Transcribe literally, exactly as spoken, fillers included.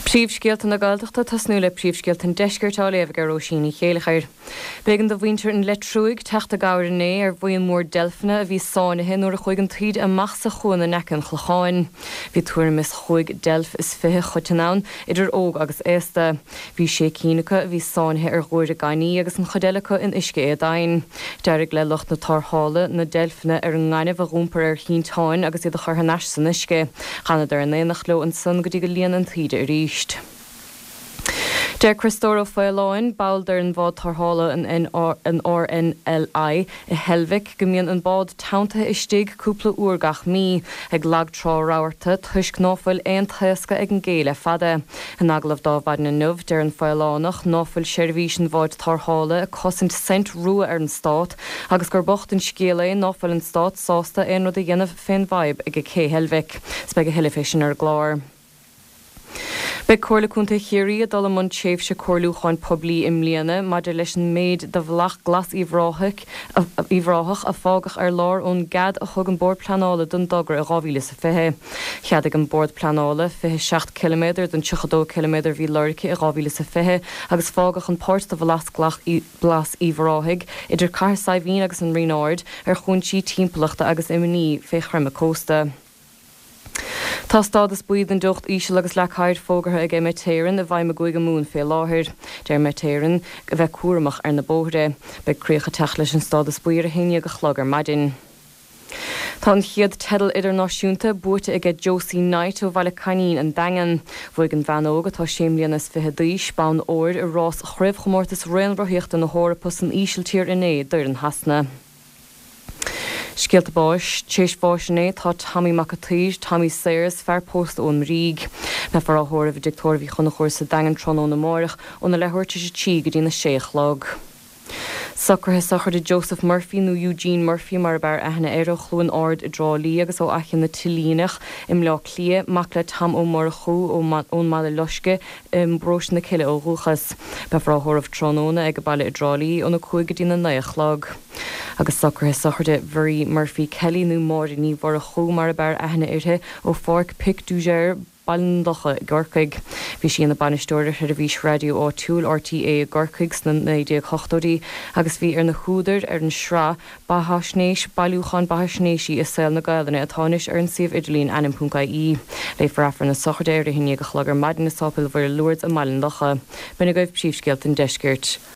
Príomhscéalta na Gaeltachta tosnú le príomhscéalta an deiscirt á léamh ag Róisín Ní Chéilleachair. B'éigean do mhuintir an Leitriúigh teacht i gcabhair inné ar bhuíon mór deilfeanna a bhí sáinnithe nuair a chuaigh an taoide amach sa chuan in aice an Chlocháin. Bhí tuairim is chúig deilf is fiche choiteann ann, idir óg agus aosta. Bhí sé cinn acu a bhí sáinnithe ar ghuaire gainimh agus an chuid eile acu in uisce éadomhain. D'éirigh le lucht na tarrthála na deilfeanna ar an ngaineamh a dh'iompar ar shínteáin agus iad a chur thar n-ais san uisce. D'fhanadar in éineacht leo ansan go dtí go líon an taoide arís. Deir Criostóir Ó Faoláin, ball d'fhoireann bhád tarrthála an an RNLI i Heilbhic go mbíonn an bád teanntaithe istigh cúpla uair gach mí ag lag trá rabharta toisc ná fuil aon taoscadh ag an gcé le fada. In agallamh d'Adhmhaidin inniu deir an Faolánach ná fuil seirbhís an bháid tarrthála ag cosaint cent rua ar an stát agus gur bocht an scéal é ná fuil an stát sásta aon rud a dhéanamh fén bhfadhb ag cé Heilbhic. 'S beidh a thuilleadh fé sin ar an gclár. Beidh Comhairle Contae Chiarraí ag dul i mbun tréimhse comhairliúcháin poiblí i mbliana maidir leis an méid de bhealach glas Uíbh Ráthach a fágadh ar lár ón gcead a thug an Bord Pleanála don dtogra i dhá mhíle is a fiche. Cheadaigh an Bord Pleanála fiche seacht ciliméadar den tríocha dó ciliméadar a bhí lorgtha i dhá mhíle is a fiche agus fágadh an páirt de bhealach glas Uíbh Ráthaigh idir Cathair Saidhbhín agus an Rinn Ard ar chúinsí timpeallachta agus imní fé chreimeadh cósta. Tá stádas buí den teocht íseal agus leac oighir fógartha ag Met Éireann i bhfeidhm i gCúige Mumhan fé láthair. Deir Met Éireann a bheith cúramach ar na bóithre. Beidh críoch ag teacht leis an stádas buí ar a haon déag a chlog ar maidin. Tá an chéad teideal idirnáisiúnta buaite aige Josie Knight ó Bhaile Coinín an Daingean. Bhuaigh an bhean óg atá sé mbliana is fiche d'aois bonn óir i rás chraobhchomórtas raonrothaíochta na hEorpa san Ísiltír inné d'fhoireann Shasana. Scéalta báis, Tar éis bháis inné tá Tommy Mac a' tSaoir, Tommy Sayers, fear pósta ón mBríg. Beifear á thórramh i dTigh Tórraimh Uí Chonchúir sa Daingean tráthnóna amárach óna leathuair tar éis a trí go dtí na sé a chlog. Socruithe sochraide Joseph Murphy nó Eugene Murphy mar ab fhearr aithne air ó Chluain Ard i dTrá Lí agus ó Fhaiche na Tillíneach i mBleá Cliath, mac le Tom Ó Murchú ón mBaile Loiscthe i bparóiste na Cille ó dhúchas. Beifear á thórramh tráthnóna ag an baile i dTrá Lí óna cúig go dtí na naoi a chlog. Agus socruithe sochraide Mharie Murphy Kelly nó Máire Ní Mhurchú mar ab fhearr aithne uirthi ó Pháirc Pic du Jer Baile an Locha i gCorcaigh. Bhí sí ina bainisteoir ar sheirbhís raidió áitiúil RTÉ i gCorcaigh sna naoi déag hochtóidí agus bhí ar na húdair ar an sraith beathaisnéis bailiúchán beathaisnéisí i saol na Gaelainne atá anois ar an suíomh idirlín ainm.ie. Léifear Aifreann na sochraide ar a haon déag a chlog ar maidin i Sáipéal Mhuire Lourdes i mBaile an Locha. B'in agaibh príomhscéalta an deiscirt.